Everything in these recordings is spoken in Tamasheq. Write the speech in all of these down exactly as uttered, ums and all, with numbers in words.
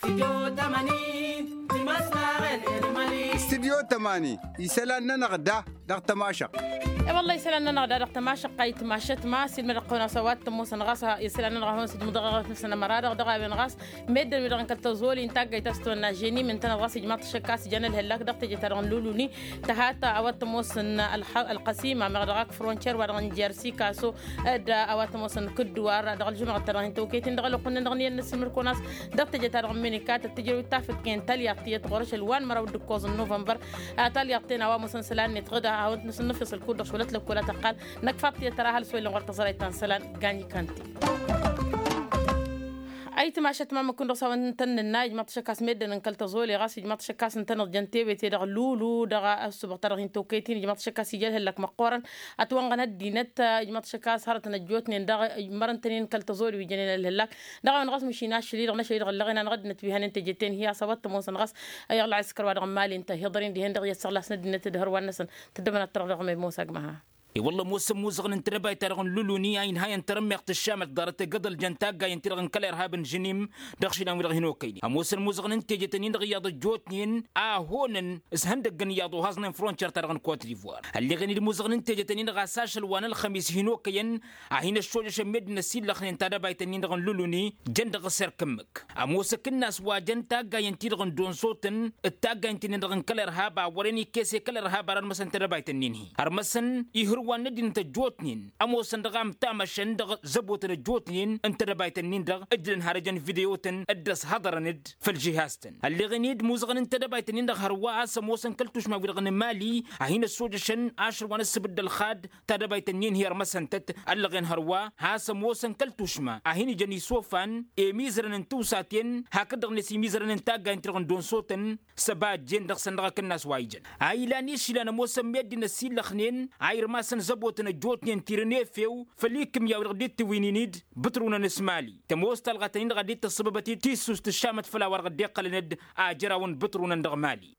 Stidyo tămani isălan-nănăɣ da dăɣ-tămašăɣt. E-wălla isălan-nănăɣ da dăɣ-tămašăɣt a itmašăt ma s-ilmădăɣ-kăwăn a-s a-wa t-ămoosăn ɣas isălan-nănăɣ a hawăn-sǝdmǝdăɣ ăɣrăf-năsăn ămăra-dăɣ dăɣ-a-wen ɣas meddǝn-wi-dăɣ n-kăl-tăẓoli n-taggayt a-s tăwănna ženi mǝntănăt ɣas ijmaḍ-t ašăk a-s ijăn ălhăllak dăɣ-teje-ta-dăɣ n-luluni. Tăhat a-wa t-ămoosăn ălqăsim a meɣ dăɣ-ak frontier wa dăɣ-n jersikaso d-a-wa t-ămoosăn kǝdduwar dăɣ-ălžumăɣăt-ta-dăɣ hin-tăwkăyt-in dăɣ-ălwăqq-nin-dăɣ n-iyyăn n-asǝlmǝd-kăwăn a-s dăɣ-teje-ta-dăɣ n-menika tăt-tǝjrăw d-tafǝtken talyaḍt tiyyăt ɣur-ašăl wa n-măraw d-ǝkkoẓ n-nuvănbăr. Talyaḍt-ten a-wa ămoosăn isălan-net ɣǝd a hawăn-t-năsǝnnǝfyăs ălkudd dăɣ-šulăt lăkkol a tăqqal năkk fad tiyyăt tăra ăhalǝs wa illăn ɣur-tăẓrayt ta n-isălan. Gañ-ikante. Ayǝtmašăt ma măkkun-dăɣ s-a-wen tăn-nǝnna ijmaḍ-t ašăk a-s meddǝn n-kăl-tăẓoli ɣas ijmaḍ-t ašăk a-s ǝntăneḍ jăn tewete dăɣ-lulu dăɣ-ăssubaɣ-ta-dăɣ hin-tokăyt-in ijmaḍ-t ašăk a-s ija ălhăllak măqqoorăn. Ătwănɣăn ăddinăt ijmaḍ-t ašăk a-s hărătăn ăjjootnen dăɣ-mărăn-tăn-in kăl-tăẓoli wi jănen ălhăllak. Dăɣ-a-wen ɣas măšin ašăl-i-dăɣ n-ašăl-i-dăɣ ǝllăɣen anăɣ-ăddinăt wi hănen teje-ten hi-a-s a-wa t-ămoosăn ɣas i-ălɣaskăr wa dăɣ-n mali ǝnta hi-iḍărin dihen-dăɣ i-ăssăɣlasăn ăddinăt d-hărwan-năsăn. Tăddăbăn ad-tărăɣ dăɣ-mem mosa agma-ha. E-wălla ămoosăn imuzăɣăn n-tedăbayt-ta-dăɣ n-luluni a inhayăn tarămmeɣt ăššamăt ḍarăt egăḍăl jăn taggayen-ti-dăɣ n-kăl-irhab n-žǝnim dăɣ-išilan-wi-dăɣ hin-okăynen ămoosăn imuzăɣăn n-teje-tăn-in-dăɣ iyyăḍ ăjjootnen a hoonăn s-ihăndăgg n-iyyăḍ ohăẓnen frontier-ta-dăɣ n-kot divoir. Ălleɣen-dd imuzăɣăn n-teje-tăn-in-dăɣ a-s ašăl wa n-ălxămis hin-okăyăn a hin-ăššojăšăn meddǝn ăsillăxnen tadăbayt-nin-dăɣ n-luluni jăn dăɣ-s erk ǝmmǝk. Ămoos akǝnnas wa jăn taggayen-ti-dăɣ n-donsotăn d-taggayen-ti-nin-dăɣ n-kăl-irhab a wăren ikkes i-kăl-irhab ara ărmăsăn tadăbayt-nin-hi ărmăsăn ihǝrwan n-ăddinăt ăjjootnen ămoosăn dăɣ-amǝtamăšăn dăɣ-zăbotăn ăjjootnen n-tadăbayt-nin-dăɣ ǝjlăn har ejăn video-tăn d-ăshăḍărăn-dd făll-žihaz-tăn. Ălleɣen-dd imuzăɣăn n-tedăbayt-nin-dăɣ hărwa a-s ămoosăn kăl-tušma-wi-dăɣ n-mali a hin-ăssojăšăn ašăl wa n-ǝssǝbǝd d-ălxad tadăbayt-nin-hi ărmăsăn-tăt. Ăllăɣen hărwa has-ămoosăn kăl-tušma a hin-ijăn isofan i-imizărăn n-tiwsaten hakd-dăɣ-net imizărăn n-taggayen-ti-dăɣ n-donsotăn s-ăba ăjjeen dăɣ-săn dăɣ-akǝnnas wa ijăn a ilan išilan ămoosăn meddǝn ăsillăxnen a irmasăn zăbotăn ăjjootnen tirǝn efew făll-ikǝmya-wi-dăɣ dd-tiwǝynin-dd bǝtrǝwăn s-mali. Tămoos talɣa-tăn-in-dăɣ a dd-tăssăbăbăt tisust ǝššamăt făll-a-wa-dăɣ dd-iqqălăn-dd a ijărawăn bǝtrǝwăn dăɣ-mali.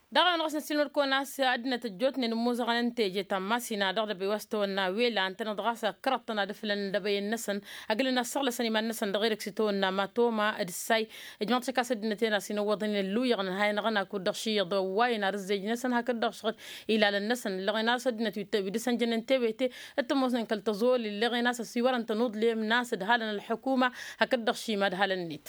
Dăɣ-a-wen ɣas năssiilmăd-kăwăn a-s ăddinăt ăjjootnen ămmuẓăɣăn n-teje ta n-masina dăɣ-dăbăy wa s-tawănna wela ǝntăneḍ ɣas ăkkărăḍ-tăn ad-ǝflăn dăbăyăn-năsăn ăglăn ad-săɣlăsăn iman-năsăn dăɣ-erek s-itawănna ma toma d-ǝssay. Ijmăḍ-t šăkk a-s ăddinăt-en a-s inăwwăḍăn i-ălluyyăɣ n-ha-inăɣ n-akud-dăɣ šiyyăḍ ăwwayăn ar ǝzzejnăsăn hakd-dăɣ šăɣ-t ilalăn-năsăn ǝllăɣen a-s ăddinăt wi dd-sănjănen tewete d-tămoosnen kăl-tăẓoli ǝllăɣen a-s ăsiwărăn-tăn uḍlem n-a-s ǝdhalăn ălḥukuma hakd-dăɣ šima ǝdhalăn-net.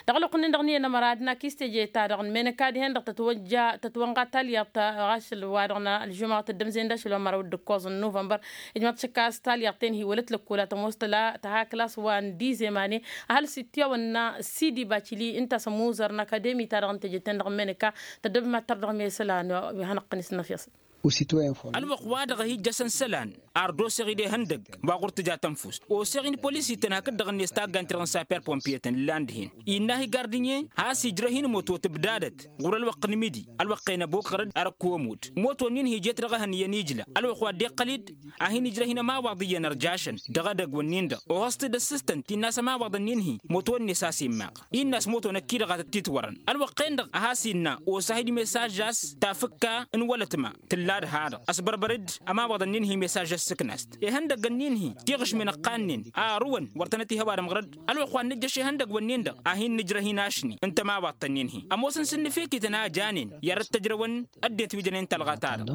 Dăɣ-ălwăqq-nin-dăɣ n-iyyăn ămăra ad-nak i-s teje-ta-dăɣ n-menăka dihen-dăɣ tătwănja tătwănɣa talyaḍt ašăl wa dăɣ-nălžumăɣ tăddămzen d-ašăl wa n-măraw d-ǝkkoẓ n-nuvănbăr. Ijmăḍ-t šăkk a-s talyaḍt-en hi-wălăt lăkkol a tămoos tăla tăha klas wa n-dizemane ăhalǝs ittiyawănna sidi bacili ǝnta a-s ămuzăr n-akademi-ta-dăɣ n-teje-ten-dăɣ n-menăka. Tăddăbăm ad-tărdăɣ mesălan wi hanăɣ-tăn-isnăfyăsăn. Ălwăqq-wa-dăɣ a hi-ijjăšăn isălan ar dd-oseɣ-dd ihăndăgg wa ɣur-tǝja tănfust oseɣ-in polisi-tăn hakd-dăɣ-net taggan-ti-dăɣ n-saper pompiye-tăn ǝllan dihen innă-hi gardǝnye has-ijrăh-in imoto tǝbdadăt ɣur-ălwăqq n-imidi. Ălwăqq-en ăbokăr-dd arăkku ămudd imoto-nin-hi jet dăɣ-ehăn iyyăn ijla ălwăqq wa dd-iqqăl-dd a hin-ijrăh-in ămawaḍ iyyăn ărjašăn dăɣ-edăgg-wǝnnin-dăɣ ohăẓ-t-dd ăssistăn ti n-a-s ămawaḍăn-nin-hi moto-net a-s immaɣ. Innă a-s moto năkk-i-dăɣ a tăt-titwărăn ălwăqq-en-dăɣ a has-innă osa-hi-dd mesaj a-s tafǝkka n-wălătma tǝlla d-ha-dăɣ ăsbărbăr-dd ămawaḍăn-nin-hi mesaj ăssǝknast ihăndăggăn-nin-hi tiɣǝšmen ǝqqannen a ărǝwăn wăr tănăt-ih ăwadǝm ɣăr-dd. Ălwăqq wa n-nǝjjăš ihăndăgg-wǝnnin-dăɣ a hin-nǝjrăh-in ašni ǝnta ămawaḍtăn-nin-hi ămoosăn s-ǝnnǝfekităn a janen i-ad-dd-tăjrăwăn ăddinăt wi jănen talɣa-ta-dăɣ.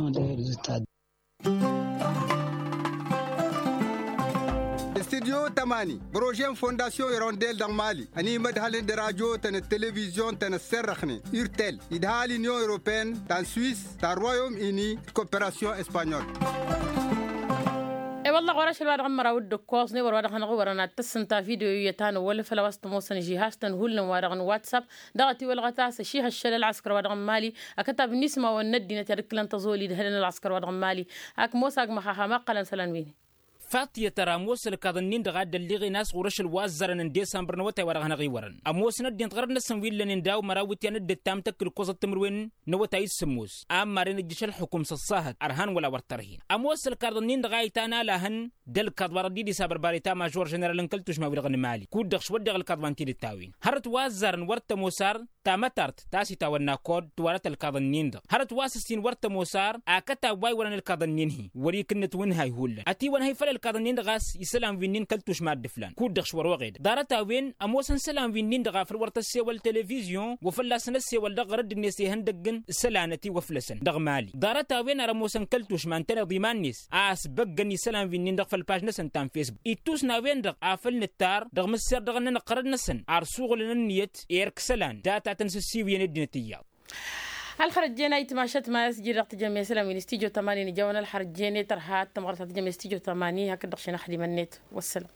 Studyo tămani bărože n-fondasyon irondel dăɣ-mali ănimădhălăn d-rajotăn d-televizyon-tăn ăsserrăxnen urtel idhal inyon europene ta n-swis ta n-royom ini d-koperasyon espanyol. E-wălla ɣur-ašăl wa dăɣ-n măraw d-ǝkkoẓ n-ewăr wa dăɣ-hanăɣ-wărăn ad-tăssǝnta video iyyăt a nǝwwălăfăl a-wa s-tămoosăn žihaz-tăn hullan wa dăɣ-n whatsapp dăɣ-ătiwălɣăt a-s ăšihăššăl ălɣăskăr wa dăɣ-n mali akătab n-ismawăn n-ăddinăt i-ad-ǝkkǝlăn tăẓoli d-hălăn ălɣăskăr wa dăɣ-n mali. Ak mosa agmăxaxa ma ǝqqălăn isălan-win-i. Faṭiyăt ăra ămoos ălkaḍ-nin-dăɣ a dd-ălliɣen a-s ɣur-ašăl wa ăzzarăn n-disămbăr n-awătay wa dăɣ-hanăɣ-iwărăn ămoosăn ăddinăt ɣărăt-năsăn wi ǝllănen daw-măraw iwǝtyan d-ǝttam tăkkǝl ǝkkoẓăt timǝrwen n-awătay s-sǝmmos a ămmaren ǝjjǝš ălxukum s-ăṣṣahăt ărhan wăla wăr tărhin. Ămoos ălkaḍ-nin-dăɣ a itan alahăn d-ălkaḍ wa dăɣ-dd-idis abărbare ta mažor ženeral n-kăl-tušma-wi-dăɣ n-mali kud-dăɣ šwăddeɣ ălkaḍ wa n-tidǝt-a-wen hărăt wa ăzzarăn wăr t-ămoos ar tamătart ta s-itawănna kod tiwarăt ălkaḍăn-nin-dăɣ hărăt wa s-ǝssin wăr tămoos ar akătab wa iwărăn ălkaḍăn-nin-hi. Wăr-ikǝnnǝt wǝnhay hullan ătiwănhăy făll-ălkaḍăn-nin-dăɣ a-s isălan wi-nin kăl-tušma dd-ǝflan kud-dăɣ š-wăr-oɣedăɣ ḍarăt-a-wen ămoosăn isălan wi-nin-dăɣ a făl wăr tăssewăl televizyon wa fălla-săn ăssewăl dăɣ-ɣărădd-net ihăndăgg n-isălan ătiwăflăsăn dăɣ-mali. Ḍarăt-a-wen ar ămoosăn kăl-tušma ǝntăneḍ iman-net a ăsbăggăn isălan wi-nin-dăɣ făll-paž-năsăn ta n-fesbuk ittus n-a-wen-dăɣ a făl nǝttar dăɣ-mǝsser dăɣ-ănnănăɣ ɣărăd-năsăn ar suɣǝlăn ǝnniyăt erk-isălan data tăn-sǝssiwǝyăn ăddinăt iyyăḍ. Ălxărăt jen a itmašăt ma s-iji-dăɣ tǝjjămesălăn wi n-studyo tămani n-ijawăn ălxărăt jen i-tărha tămɣărt ta tǝjjămes studyo tămani hakd-dăɣ šenăxdimăn-net. Wăssălam.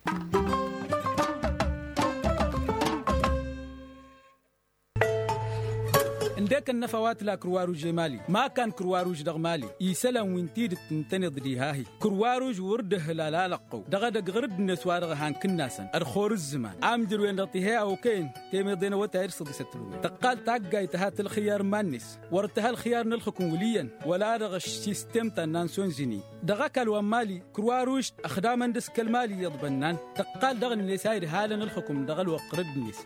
Ǝndek ănnăfa wa tǝla kǝrwaruž i-mali ma kan kǝrwaruž dăɣ-mali isălan wi n-tidǝt ǝntăneḍ diha-hi. Kǝrwaruž wăr dd-ăhhǝlal alăqqăw dăɣ-edăgg ɣǝr-dd-net wa dăɣ-ehăn kǝnnasăn ărxor ǝzzǝman amjăr-wen-dăɣ tihey a okăyăn temeḍe n-awătay d-săḍisăt tǝlwăy tăqqal taggayt tǝha tălxǝyyar n-iman-net. Wăr tǝha ălxǝyyar n-ălxǝkǝm wǝl' iyyăn wăla dăɣ-ăššistem ta n-nansonzini. Dăɣ-ăkall wa n-mali kǝrwaruž ăxdamăn d-askăl mali iyyăḍ bănnan tăqqal dăɣ-net a idhalăn ălxǝkǝm dăɣ-ălwăqq ɣǝr-dd-net.